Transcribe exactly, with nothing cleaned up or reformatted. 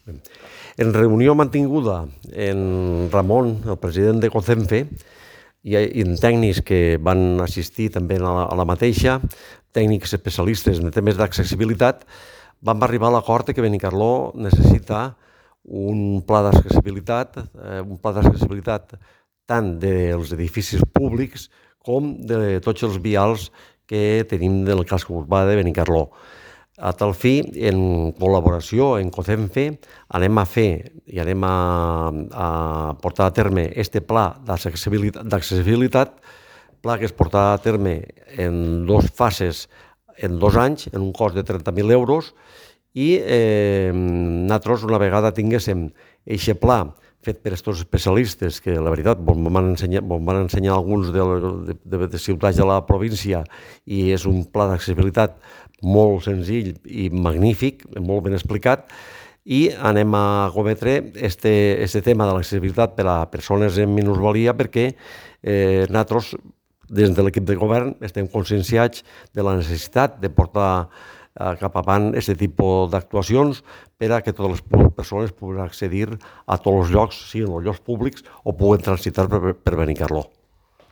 En reunió mantinguda en Ramon, el president de COCENFE, i en tècnics que van assistir també a la, a la mateixa, tècnics especialistes en temes d'accessibilitat, vam arribar a l'acord que Benicarló necessita un pla d'accessibilitat, eh, un pla d'accessibilitat tant dels edificis públics com de tots els vials que tenim del casc urbà de Benicarló. A tal fi, en col·laboració en COCENFE, anem a fer i anem a, a portar a terme este pla d'accessibilitat, pla que es portarà a terme en dues fases, en dos anys, en un cost de trenta mil euros, i eh, nosaltres, una vegada tinguéssim aquest pla fet per aquests especialistes, que la veritat ens van ensenyar, ens van ensenyar alguns de, de, de ciutats de la província, i és un pla d'accessibilitat molt senzill i magnífic, molt ben explicat, i anem a cometre este, este tema de l'accessibilitat per a persones amb minusvalia perquè eh, nosaltres, des de l'equip de govern, estem conscienciats de la necessitat de portar cap avant aquest tipus d'actuacions per a que totes les persones puguin accedir a tots els llocs, siguin els llocs públics o puguen transitar per, per Benicarló.